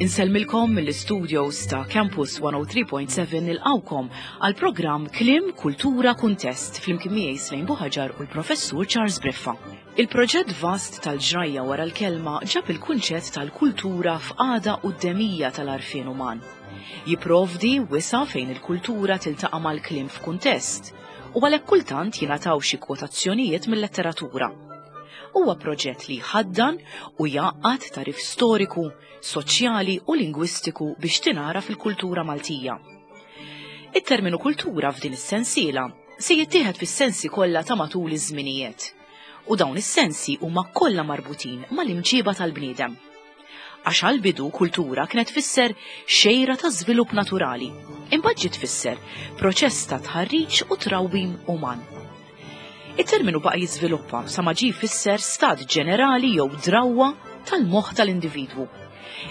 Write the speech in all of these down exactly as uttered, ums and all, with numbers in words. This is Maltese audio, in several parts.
Insellmilkom mill-studios ta' Campus one oh three point seven, nilqgħukom għal programm Kliem, Kultura, Kuntest flimkien miegħi Slejn Buħaġar u l-Professur Charles Briffa. Il-proġett vast tal-ġrajja wara l-kelma ġab il-kunċett tal-kultura f'qagħda quddemija tal-għarfien uman. Jiprovdi wisa' fejn il-kultura tiltaqa' mal-kliem f'kuntest u għalhekk kultant jingħataw xi kwotazzjonijiet mill-letteratura. Huwa proġett li jħaddan u jgħaqqad tagħrif storiku, soċjali u lingwistiku biex tingħaraf il-kultura Maltija. It-terminu kultura f'din is-sensiela se jittieħed fis-sensi kollha ta' matul iż-żminijiet. U dawn is-sensi huma kollha marbutin mal-imġiba tal-bniedem. Għax għal-bidu kultura kienet tfisser xejra ta' żvilupp naturali, imbagħad ġiet tfisser proċess ta' tħarriġ u trawwim uman. Il-terminu baqa' jiżviluppa sa ma ġie jfisser stat ġenerali jew drawwa tal-moħħ tal-individwu.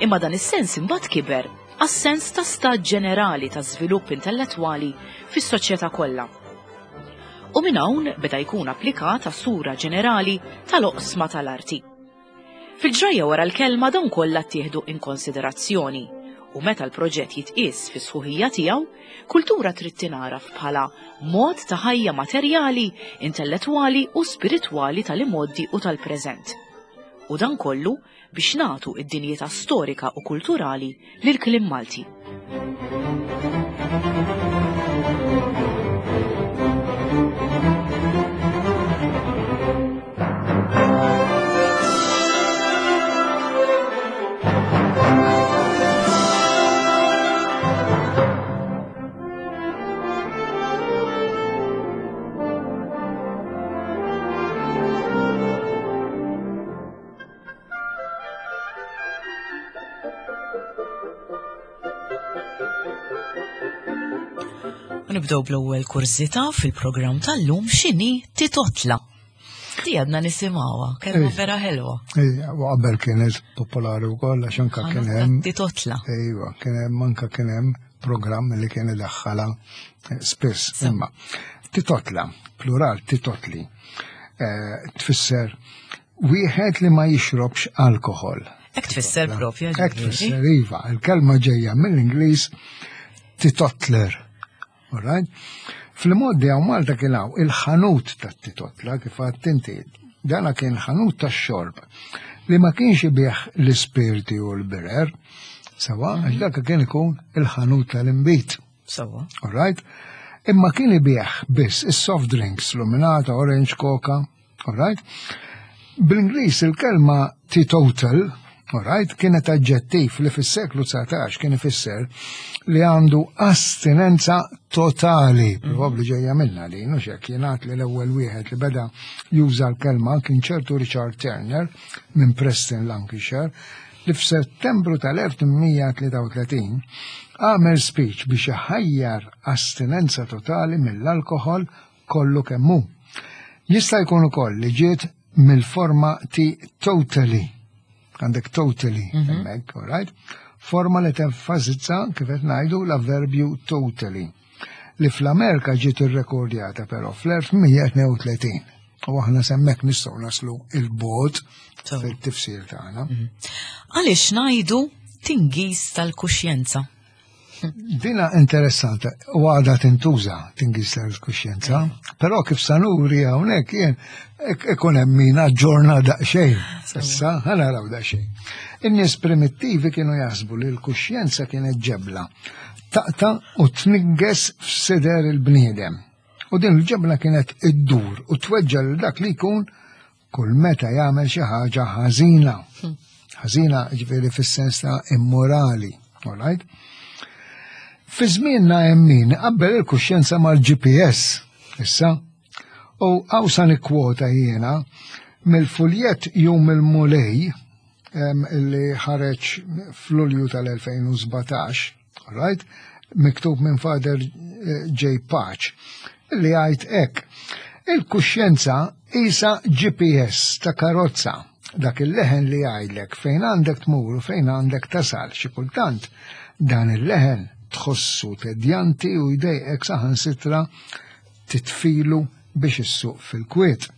Imma dan is-sens imbagħad kiber għas-sens ta' stat ġenerali ta' żvilupp intellettwali fis-soċjetà kollha. U minn hawn beda jkun applikat għas-sura ġenerali tal-oqsma tal-arti. Fil-ġrajja wara l-kelma dawn kollha ttieħdu in konsiderazzjoni u meta l-proġett jitqies fi sħuħija tiegħu, kultura trid tingħaraf bħala mod ta' ħajja materjali, intellettwali u spiritwali tal-imgħoddi u tal-preżent. U dan kollu biex nagħtu id-dinjità storika u kulturali lil kliem Malti. U nibdew bl-ewwel kurżità fil-programm tal-lum: x'inhi titotla? Di għadna nisimgħuha, kelma Ej. vera ħelwa. Ejja, u qabel kienet popolari wkoll għax anka kien hemm Titotla. Ejwa, kien hemm anka kien hemm programm li kien idaħħala eh, spiss. Imma titotla, plural titotli, eh, tfisser wieħed li ma jixrobx alkohol. Hekk tfisser propja, Hekk ġifieri. tfisser, iva. Il-kelma ġejja mill-Ingliż teetotaler. Alright? Fl-modi hawn Malta kien hawn il-ħanut tat-titotla, kif għedt inti. Dana kien ħanut tax-xorb li ma kienx ibigħ l-ispirti u l-birer, sewwa, għax dak kien ikun il-ħanut tal-inbid. Sewwa. Alright? Imma kien ibigħ biss is-soft drinks, luminata, orange, coca, alright? Bl-Ingliż il-kelma teetotal, alright, kienet aġġettiv li fis-seklu dsatax kien ifisser li għandu astinenza totali, probabbli ġejja minna li, nux hekk, jingħad li l-ewwel wieħed li beda juża l-kelma kien ċertu Richard Turner minn Preston, Lancashire, li f'Settembru tal-elf tmien mija tlieta u tletin għamel speech biex iħajjar astinenza totali mill-alkohol kollu kemm hu. Jista' jkun ukoll li ġiet mill-forma teetotally. Għandek totally hemmhekk, all right? Forma li tenfasizza, kif qed ngħidu, l-avverbju totally. Li fl-Amerika ġiet irrekordjata però fl-elf tmien mija tnejn u tletin. U aħna s'hemmhekk nistgħu naslu 'il bogħod Sew. fil-tifsir tagħna. Għaliex ngħidu tingiż tal-kuxjenza? Dina interessanta u għadha tintuża, tingiż tal-kuxjenza, però kif sa nuri hawnhekk jien ik- ikun hemm min aġġorna daqsxejn. Issa ħa naraw daqsxejn. In-nies primittivi kienu jaħsbu li l-kuxjenza kienet ġebla taqta' u tnigges f'sider il-bniedem. U din il-ġebla kienet iddur u tweġġa lil dak li jkun kull meta jagħmel xi ħaġa ħażina. Ħażina ġifieri fis-sens ta' immorali, all right? Fi żmienna hemm min qabbel il-kuxjenza mal-G P S, issa. U hawn sa nikkwota jiena mill-fuljett Jum il-Mulej em, li ħareġ f'Lulju tal-elfejn u sbatax, all right? Miktub minn Father eh, J. Pace, li għajt hekk: "Il-kuxjenza isa G P S ta' karozza, dak il-leħen li jgħidlek fejn għandek tmur u fejn għandek tasal. Xi kultant dan il-leħen tħossu tedjanti u jdejqek, saħansitra titfilu biex issuq fil-kwiet.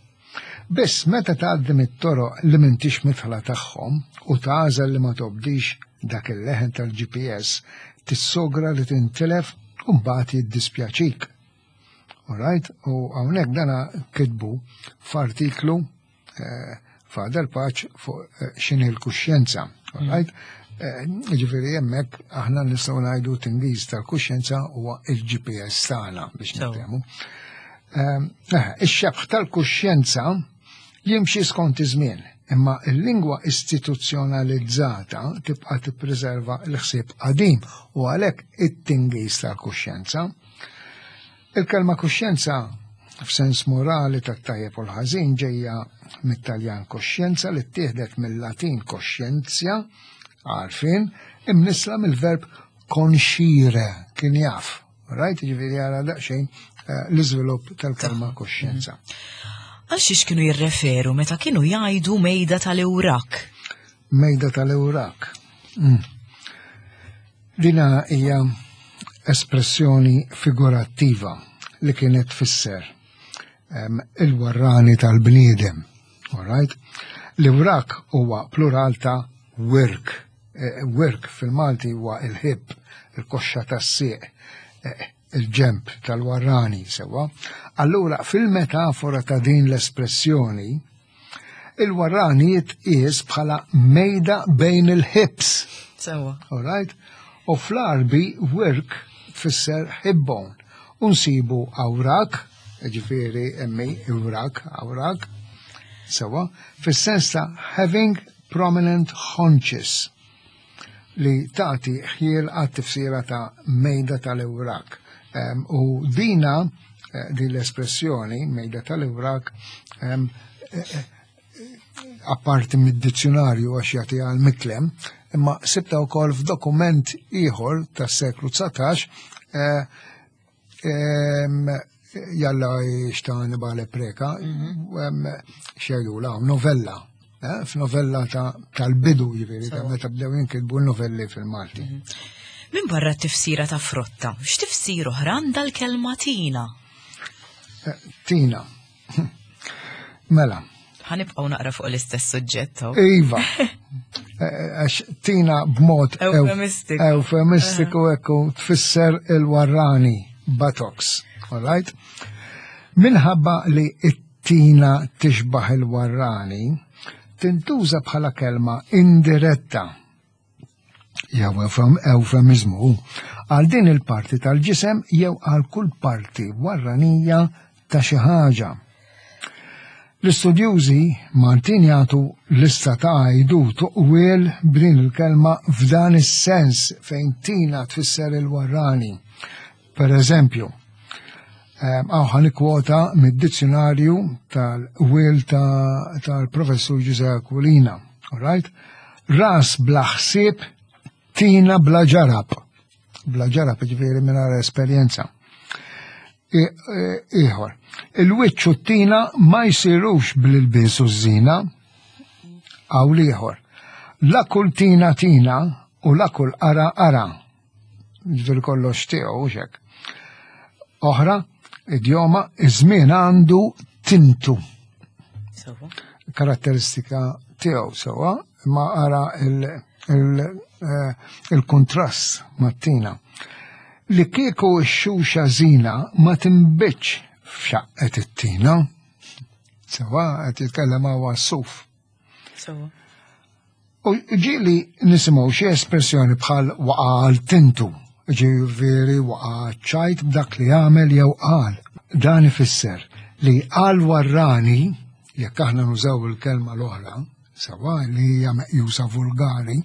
Biss meta tgħaddi mit-toroq li m'intix midħla tagħhom u tagħżel li ma tobdix dak il-leħen tal-G P S, tissogra li tintilef u mbagħad jiddispjaċik. Alright? U hawnhekk dana kitbu f'artiklu eh, Father Pace fuq eh, x'inhi l-kuxjenza. Alright? Eh, Ġifieri hemmhekk aħna nistgħu ngħidu tingiż tal-kuxjenza huwa il-G P S tagħna biex Sewa. niftehmu. Ehm, eh, Ix-xebħ tal-kuxjenza jimxi skont iż-żmien, imma il-lingwa istituzzjonalizzata tibqa' tippreserva l-ħsieb qadim u għalhekk it-tingiż tal-kuxjenza. Il-kelma kuxjenza f'sens morali tat-tajjeb u l-ħażin ġejja mit-Taljan coscienza li ttieħdet mill-Latin conscientia, għarfien, imnisla mill-verb conscire, kien jaf. Right? Ġifieri għara daqsxejn eh, l-iżvilupp tal-kelma kuxjenza. Għal xiex kienu jirreferu meta kienu jgħidu mejda tal-Ewrak? Mejda tal-Ewrak. Mm. Dina hija espressjoni figurattiva li kienet tfisser em, il-warrani tal-bniedem. Alright? L-Ewrak huwa plural ta' wirk. Eh, Wirk fil-Malti huwa il-hip, il-koxxa tas-sieq, eh, il-ġemp tal-warrani sewa. Allura fil-metafora ta' din l-espressjoni, il-warrani jitqies bħala mejda bejn il-hips. Sewa. Alright? U fl-Arbi wirk tfisser hip bone. Unsibu awrak, ġifieri emmi, awrak, awrak, sewa, fis-sens ta' having prominent haunches li tagħti ħjiel għat-tifsira ta' mejda tal-Ewrak. Em, U dina, eh, din l-espressjoni, mejda tal-Ewrak, em, eh, eh, apparti mid-dizzjonarju għax jagħti għal miklem, imma sibta wkoll f'dokument ieħor tas-seklu dsatax, eh, em, jalla xtani bale preka, em, xejdu la, novella, eh, f'novella ta' tal-bidu ġifieri, ta' meta bdew jinkitbu novelli fil-Malti. Min barra t-tifsira ta' frotta, x'tifsir oħra għandha l-kelma tina? Eh, Tina. Mela, Ħa nibqgħu naqra fuq l-istess suġġett. hawn. Iva. Eh, Għax tina b'mod Eufemistiku. Eufemistiku ekku tfisser il-warrani, buttocks. All right? Minħabba li it-tina tixbaħ il-warrani, tintuża bħala kelma indiretta jew eufem- eufemizmu għal din il-parti tal-ġisem jew għal kull parti warranija ta' xi ħaġa. L-istudjużi Maltin jagħtu lista ta' għajdut u qwiel b'din il-kelma f'dan is-sens fejn tina tfisser il-warrani. Per eżempju, għaw ħa nikkwota mid-dizzjonarju tal-qwiel tal-professur Giuseppe Aquilina. All right? Ras bla ħsieb, tina bla ġarab. Bla ġarab, ġifieri mingħajr esperjenza. Ieħor, il-wiċċ u t-tina ma jsirux bl-ilbies u ż-żina. Għaw ieħor. La kull tina tina u la kull ara ara. Ġifieri kollox tiegħu xek. Oħra, idjoma, iż-żmien għandu tintu. Sewa. Karatteristika tiegħu sewa, ma ara eh, il-kontrast mat-tina. Li kieku x-xuxa żina ma tinbitx f'xaqqet it-tina. Sewa, qed jitkellem hawn suf. Sewa. U ġieli nisimgħu xi espressjoni bħal waqa' għal tintu, ġifieri waqa' ċajt b'dak li għamel jew qal. Dan ifisser li għal warrani, jekk aħna nużaw il-kelma l-oħra, sewa li hija meqjusa vulgari,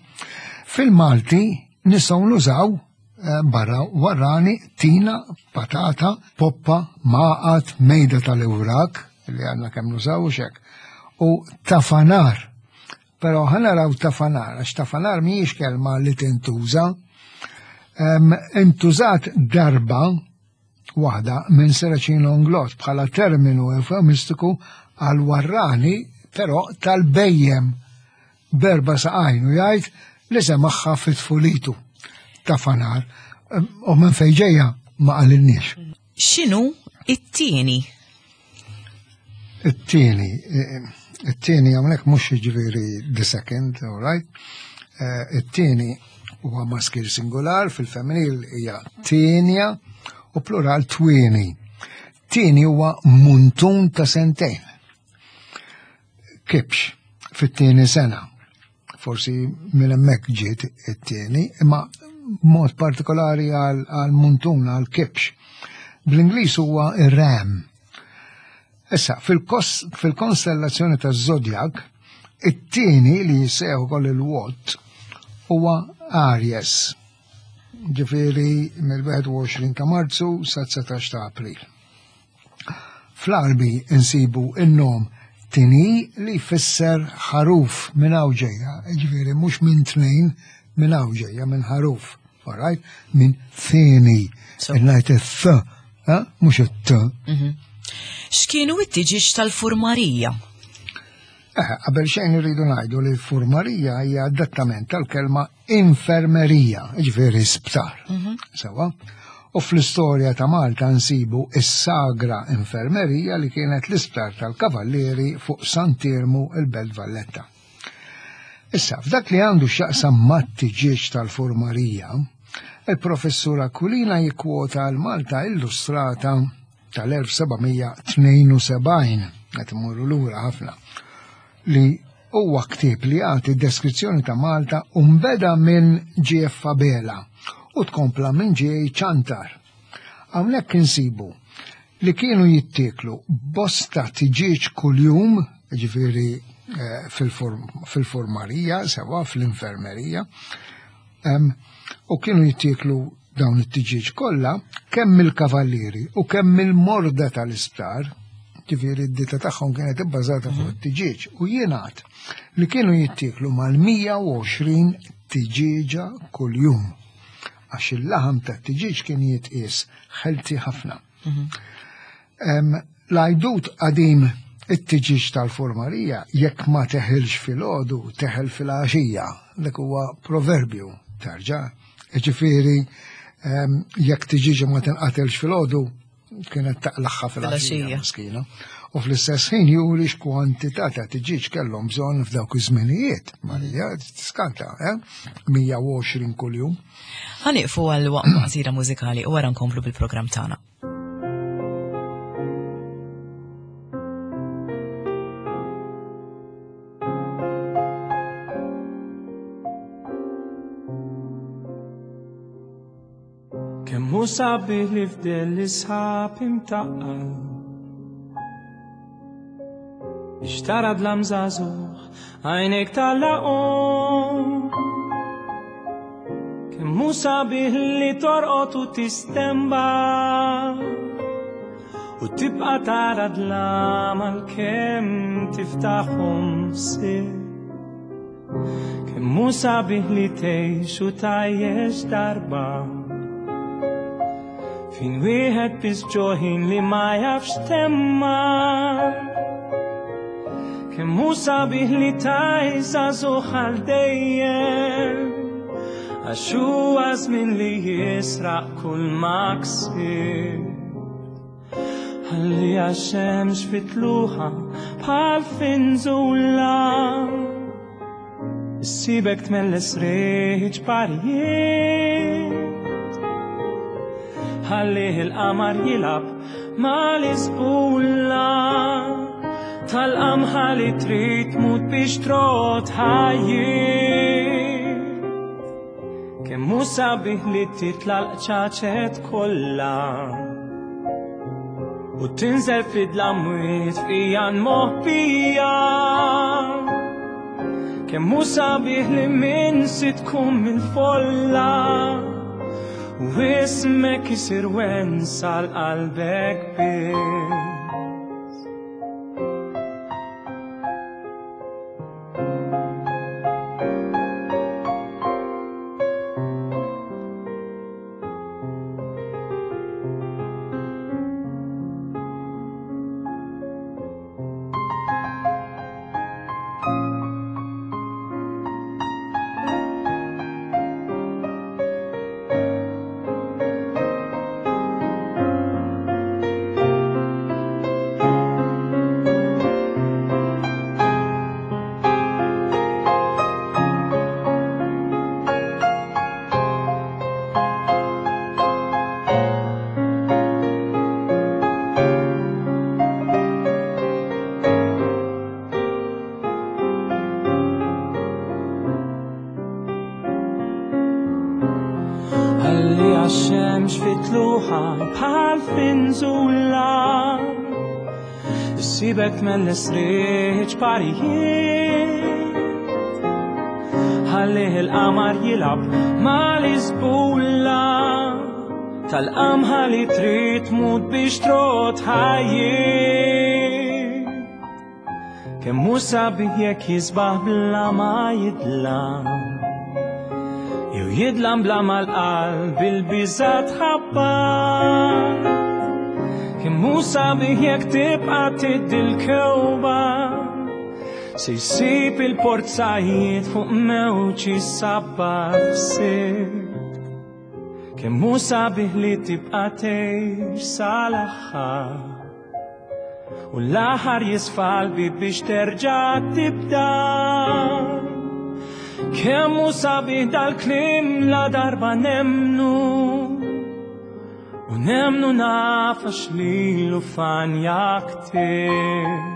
fil-Malti nistgħu nużaw eh, barra warrani tina, patata, poppa, maqat, mejda tal-Ewrak, li għandna kemm nużaw xek, u tafanar. Pero ħa naraw tafanar, għax tafanar mhijiex kelma li tintuża. Em, Intużat darba waħda minn Serracino Inglott bħala terminu eufemistiku għal warrani, però tal-bhejjem b'erba' saqajn u jgħid li semagħha fit-tfulitu tafanar. Em, U minn fejn ġejja ma qalilniex. X'inhu it-tieni? It-tieni, eh, it-tieni hawnhekk mhux jiġifieri the second, all right? Eh, it-tieni huwa maskil singular, fil-femminil hija tienja u plural twieni. Tieni huwa muntun ta' sentejn. Kibx fit-tieni sena. Forsi minn hemmhekk ġiet it-tieni, imma mod partikolari għal muntun, għal kibx. Bl-Ingliż huwa ir-ram. Issa, fil-konstellazzjoni ta' Zodiac, it-tieni li jissejjaħ ukoll il-Watt huwa Aries. Ġifieri mill-wieħed u għoxrin ta' Marzu sa dsatax ta' April. Fl-Arbi insibu in-nom Tini li jfisser ħaruf minn hawn ġejja, ġifieri mhux minn tnejn, minn hawn ġejja, minn ħaruf, all right? Minn thini, ngħid it-th, mhux it-t. X'kienu it-tiġiġ tal-furmarija? Eh, qabel xejn irridu ngħidu li l-furmarija hija adattament tal-kelma infermerija, ġifieri sptar. Sewa? U fl-istorja ta' Malta nsibu is-Sagra Infermerija li kienet l-isptar tal-Kavallieri fuq Sant'Iermu il-Belt Valletta. Issa, f'dak li għandu x'jaqsam mat-tiġieġ tal-furmarija, il-professur Aquilina jikkwota l-Malta Illustrata tal-elf seba' mija tnejn u sebgħin, qed imorru lura ħafna, li huwa ktieb li jagħti deskrizzjoni ta' Malta u nbeda minn G F Abela u tkompla minn G A Ciantar. Hawnhekk insibu li kienu jittieklu bosta tiġieġ kuljum, ġifieri, eh, fil-form-, fil-formarija, sewa fl-infermerija, em, u kienu jittieklu dawn it-tiġieġ kollha kemm mill-kavallieri u kemm mill-morda tal-isptar, ġifieri d-dieta tagħhom kienet ibbażata fuq Mhm. it-tiġieġ, u jingħad li kienu jittieklu mal-mija u għoxrin tiġieġa kuljum, għax il-laħam tat-tiġieġ kien jitqies ħelti ħafna. Mhm. Em, l-għajdut qadim it-tiġieġ tal-formarija jekk ma teħilx fil-għodu, teħel fil-għaxija, dak huwa proverbju tarġa. Ġifieri, em, jekk tiġieġa ma tinqatelx fil-għodu, kienet taqlaħħa fil-għaxija, Fil-għaxija. miskina. U fl-istess ħin juri x'kwantità ta' tiġieġ kellhom bżonn f'dawk iż-żminijiet. Marija, tiskanta, eh? mija u għoxrin kuljum. Ħanieqfu għal waqfa qasira mużikali u wara nkomplu bil-programm tagħna. Kemm hu sabiħ li fdel l-isħab imtaqqal, biex tara dlam żagħżugħ għajnejk tal-laqgħom. Kemm hu sabiħ li torqod u tistemba u tibqa' tara dlam għalkemm tiftaħhom sir. Kemm hu sabiħ li tgħix u tgħajjex darba fin wieħed biss ġoħin li ma jafx temma. Kemm hu sabiħ li tgħix żagħżugħ għal dejjem, għax huwa żmien li jisraq kull ma ksibt. Ħalli għax-xemx fitluħa bħal finżula, issibek tmelles riħ ġbarijiet. Ħallih il-qamar jilgħab mal-isbulla tal-qamħa li trid tmut biex trot ħajjiet. Kemm hu sabiħ li titla' l-qċaċet kollha u tinżel fid-dlamwiet f'ijan moħbija. Kemm hu sabiħ li minn si tkun mill-folla u ismek isir wens għal qalbek biss. M'hemmx fit-tluħa bħal finżula, issibek tmelles riħ parijiet. Ħallih il-qamar jilgħab mal-iżbula tal-qamħa li trid tmut biex trot ħajjiet. Kemm hu sabiħ jekk jisbaħ bla ma jidlam, jew jidlam bla ma l-qalb il-biża' tħabbar. Kemm hu sabiħ jekk tibqa' tiddi l-kewba, se jsib il-porzajiet fuq mewġ isabbar f'sir. Kemm hu sabiħ li tibqa' tgħix sal-aħħar, u l-aħħar jisfa' l-bieb biex terġa' tibda. Kemm hu sabiħ dal-kliem la darba nemnu, u nemnu naf għax lilu fanja ktieb.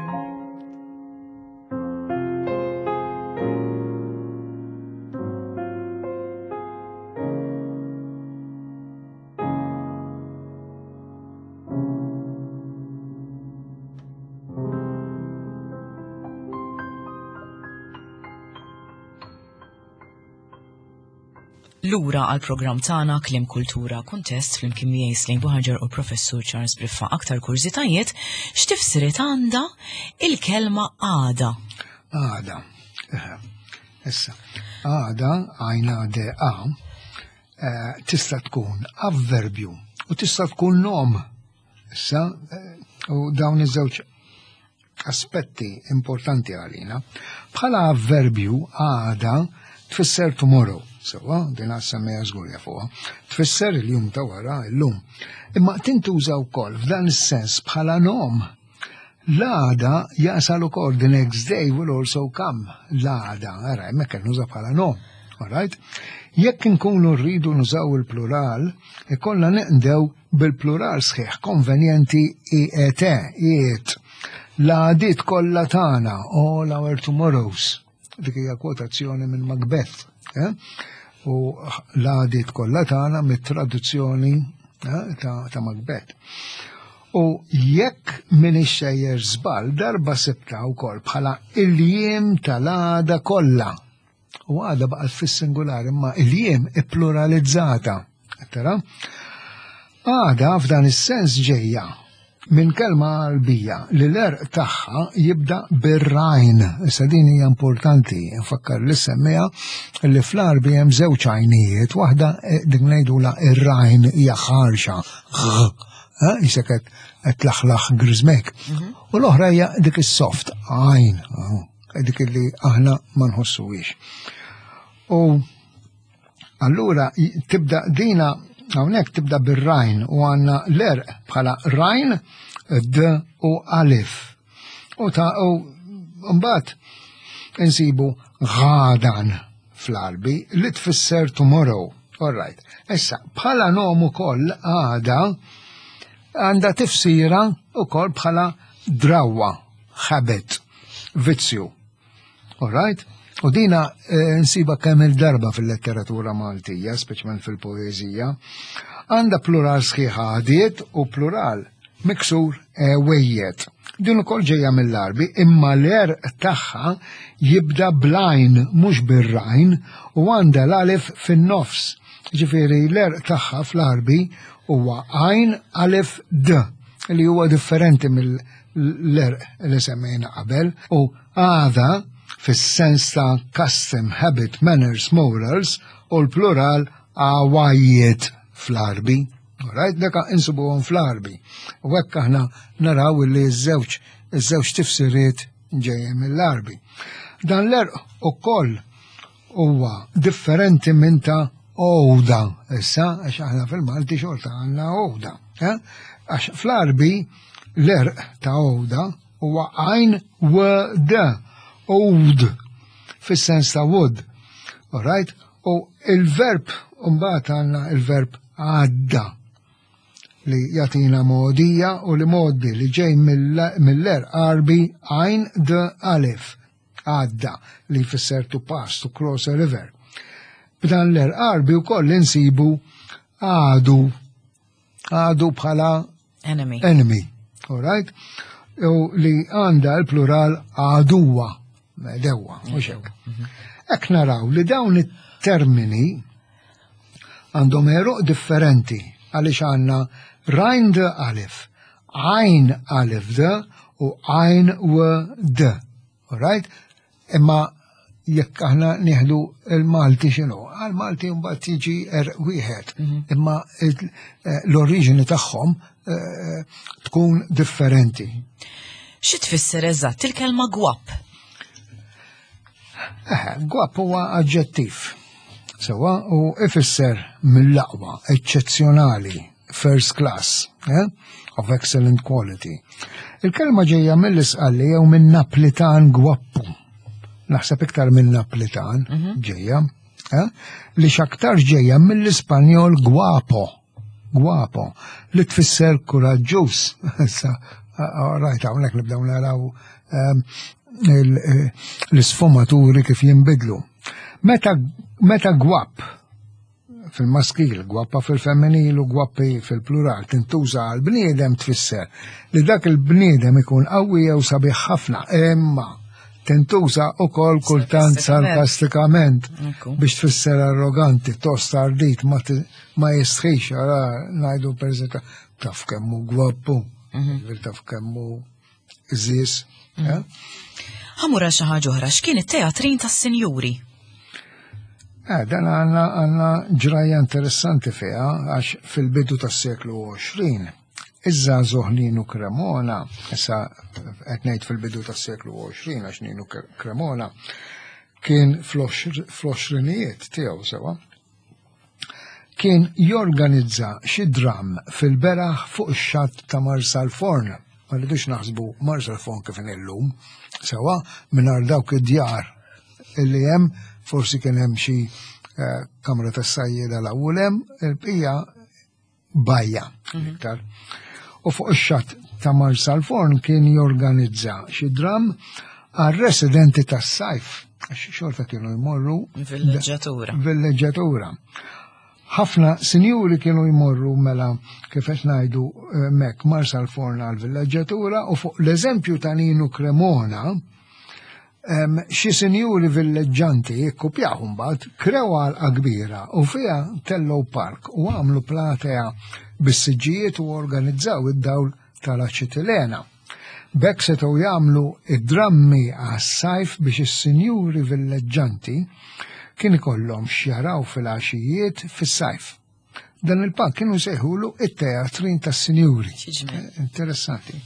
Lura għal programm tagħna Kliem Kultura Kuntest flimkien miegħi Slaine Buhagiar u Professur Charles Briffa. Aktar kurżitajiet, x'tifsiriet għandha il-kelma għada? Għada. Issa, għada għajna D A, eh, tista' tkun avverbju u tista' tkun nom. Issa, eh, u dawn iż-żewġ aspetti importanti għalina. Bħala avverbju għada tfisser tomorrow, sewa, din għas-semmija żgur jafuha, tfisser il-jum ta' wara illum. Imma tintuża wkoll f'dan is-sens bħala nom. L-għada jasal ukoll, the next day will also come. L-għada, ara, hemmhekk qed nuża bħala nom. All right? Jekk inkunu rridu nużaw il-plural, ikollna neqdew bil-plural sħiħ konvenjenti I E T, iet. L-għadiet kollha tagħna, all our tomorrows. Dik hija kwotazzjoni minn Macbeth, eh? U l-għadiet kollha tagħna mit-traduzzjoni, eh, ta', ta' Macbeth. U jekk minix sejjer żball, darba sibta wkoll bħala il-jiem tal-għada kollha. U għada baqgħet fis-singular, imma il-jiem ippluralizzata. Tara? Għada f'dan is-sens ġejja minn kelma Għarbija li l-erq tagħha jibda bir-rajn. Issa din hija importanti, nfakkar li semmija li fl-Għarbi hemm żewġ għajnijiet, waħda, eh, dik ngħidula ir-rajn hija ħarxa, eh, jisek qed, qed tlaħlaħ griżmek. Mhm. U l-oħra hija dik is-soft, għajn, eh, dik li aħna ma nħossuhiex. U allura tibda dina hawnhekk tibda bir-rajn u għandna l-erq bħala rajn, D u alif. U ta' u mbagħad insibu għadan fl-Għarbi li tfisser tomorrow. All right. Issa, bħala nom ukoll għada għandha tifsira ukoll bħala drawa, habit, vizzju. All right? U dina, eh, nsiba kemm il-darba fil-letteratura Maltija, speċjalment fil-poeżija, għandha plural sħiħ għadiet u plural miksur ewejjet. Din ukoll ġejja mill-Għarbi, imma l-erq tagħha jibda blajn mhux bir-rajn u għandha l-alif fin-nofs. Ġifieri l-erq tagħha fl-Għarbi huwa għajn alif D, li huwa differenti mill-erq li semmejna qabel, u għada fis-sens ta' custom, habit, manners, morals, u l-plural għawajiet fl-Għarbi. All right, deka insibuhom fl-Għarbi. U hekk aħna naraw li ż-żewġ, iż-żewġ tifsiriet ġejjin mill-Għarbi. Dan l-erq ukoll huwa differenti minn ta' għoda. Issa, għax aħna fil-Malti xorta għandna għoda. Eh? Għax fl-Għarbi l-erq ta' għoda huwa għajn w d, oud, fis-sens ta' wood. All right? U il-verb, mbagħad għandna il-verb għadda li jatina modija u li modi li ġej mill-, mill-erq Għarbi għajn d alif, għadda, li jfisser to pass, to cross a river. B'dan l-erq Għarbi u koll insibu għadu Għadu bħala Enemy. Enemy. All right? U li għanda l-plural għaduwa, dewa, mhux hekk. Hekk naraw li dawn it-termini għandhom għeruq differenti għaliex għandna għajn d alif, għajn alif d u għajn w d. All right? Imma jekk aħna nieħdu il-Malti x'inhu, għal-Malti mbagħad tiġi er wieħed, imma il- eh, l-oriġini tagħhom eh, tkun differenti. Xi tfisser eżatt il-kelma gwapp? Eh, gwapp huwa aġġettiv. Sewa u ifisser mill-aqwa, eċċezzjonali, first class, eh? Of excellent quality. Il-kelma ġejja mill-Isqalli jew minn Naplitan gwappu. Naħseb iktar minn Naplitan ġejja, eh? Li x'aktar ġejja mill-Ispanjol guapo, guapo, li tfisser kuraġġuż. Issa, rajt hawnhekk nibdew naraw ehm, il- eh, l-isfumaturi kif jinbidlu. Meta, meta gwapp fil-maskil, gwappa fil-femminil u gwappi fil-plural tintuża għal bniedem tfisser li dak il-bniedem ikun qawwi jew sabiħ ħafna, imma tintuża ukoll kultant sarkastikament Ekku. biex tfisser arroganti, tost ardit, ma, ti- ma jistħix, ara ngħidu per eżempju, taf kemmu gwappu, taf kemmu żis. eh? Ħa mmur għal xi ħaġa oħra, x'kien it-teatrin tas-sinjuri? Eh, dan għanna għanna ġrajja interessanti fiha, għax fil-bidu tas-seklu għoxrin, iż-żagħżugħ Ninu Cremona, issa qed ngħid fil-bidu tas-seklu għoxrin għax Ninu Cremona kien fl-għoxrinijiet tiegħu sewa, kien jorganizza xi dram fil-beraħ fuq ix-xatt ta' Marsalforn. Ma rridux naħsbu Marsalforn kif illum, sewa mingħajr dawk id-djar illi hemm, forsi kien hemm xi eh, kamra tas-sajjieda l-ewwel hemm, il-bqija bajja iktar. U fuq ix-xatt ta' Marsalforn kien jorganizza xi dram għar-residenti tas-sajf, għax xorta kienu jmorru Villeġġatura. Villeġġatura. Ħafna sinjuri kienu jmorru mela kif qed ngħidu eh, mek Marsalforn għal villeġġatura u fuq l-eżempju ta' Ninu Cremona em, xi sinjuri villeġġanti ikkupjaw mbagħad krew għalqa kbira u fiha tellgħu park u għamlu platea bis-siġġijiet u organizzaw id-dawl tal-aċitilena. B'hekk setgħu jagħmlu id-drammi għas-sajf biex is-sinjuri villeġġanti kien ikollhom x'jaraw fil-għaxijiet fis-sajf. Dan il-park kienu sejħulu it-teatrin tas-sinjuri. Xi ġmiel. Interessanti.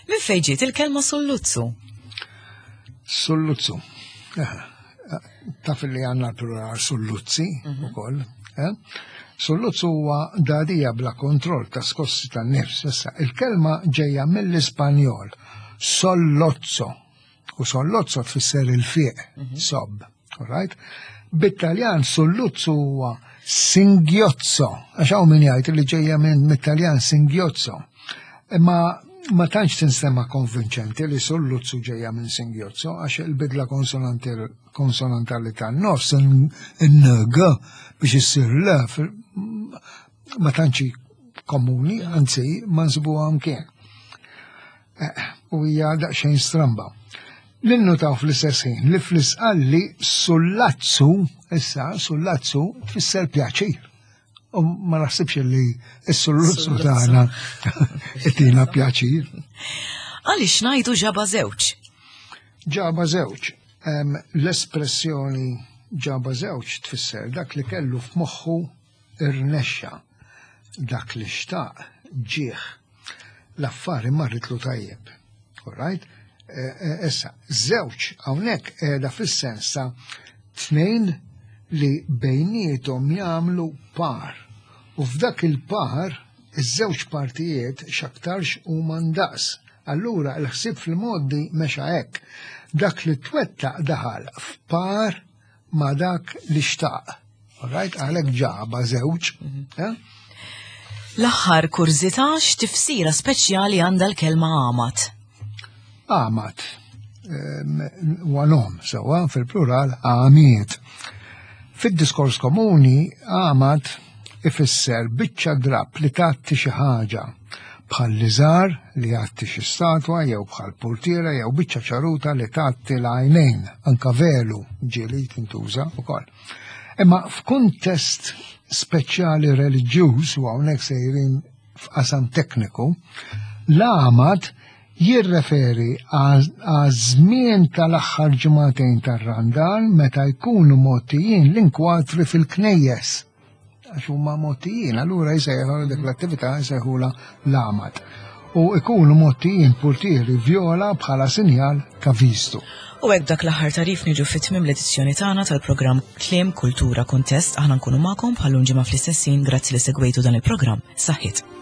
Minn fejn ġiet il-kelma sulluzzu? Sulluzzu. Eh, taf li għandna l-plural sulluzzi ukoll. eh? Sulluzzu huwa dadija bla kontroll ta' skossi tan-nifs. Issa, il-kelma ġejja mill-Ispanjol sollozzo. U sollozzo tfisser il-fiq, sob. All right? Bit-Taljan sulluzzu huwa singhiozzo, għax hawn min jgħid li ġejja minn mit-Taljan singhiozzo. Imma ma tantx tinstema konvinċenti li sulluzzu ġejja minn singhiozzo, għax il-bidla konsonanti- konsonantali tan-nofs, in-ng biex issir l fil- ma tantx komuni, anzi ma nsibuha mkien. Eh, U hija daqsxejn stramba. Ninnutaw fl-istess ħin li fl-Isqalli sullazzu, issa sullazzu tfisser pjaċir. U ma naħsibx li s-sulluzzu Sulluzzu. tagħna itina pjaċir. Għaliex ngħidu ġaba żewġ? Ġaba żewġ. Em, L-espressjoni ġaba żewġ tfisser dak li kellu f'moħħu irnexxa, dak li xtaq ġieħ. L-affari marritlu tajjeb. All right? Eh, eh, Issa, żewġ hawnhekk qiegħda fis-sens ta' tnejn li bejniethom jagħmlu par. U f'dak il-par, iż-żewġ partijiet x'aktarx huma ndaqs. Allura l-ħsieb fil-modi mexa hekk. Dak li twettaq daħal f'par ma' dak li xtaq. All right? Għalhekk ġaba żewġ. eh? L-aħħar kurżità, x'tifsira speċjali għandha l-kelma għamat? Għamat. Huwa nom, sewa fil-plural għamiet. Fid-diskors komuni għamat Ifisser biċċa drapp li tgħatti xi ħaġa, bħal liżar li jgħatti xi statwa jew bħal purtiera jew biċċa ċaruta li tgħatti l-għajnejn, anka velu ġieli tintuża wkoll. Imma f'kuntest speċjali reliġjuż, u hawnhekk sejrin f'qasam tekniku, l-għamad jirreferi għaż-żmien tal-aħħar ġimagħtejn tar-Randan meta jkunu mgħottijin l-inkwatri fil-knejjes. Għax huma mgħottijin, allura jsejħu dik l-attività jsejħula l-għamad. U ikunu mgħottijin purtieri vjola bħala sinjal ta' vistu. U hekk dak l-aħħar tarif niġu fit tmiem l-edizzjoni tagħna tal-programm Kliem Kultura Kuntest. Aħna nkunu magħkom bħal ġimgħa fl-istess ħin. Grazzi li segwejtu dan il-programm. Saħħit.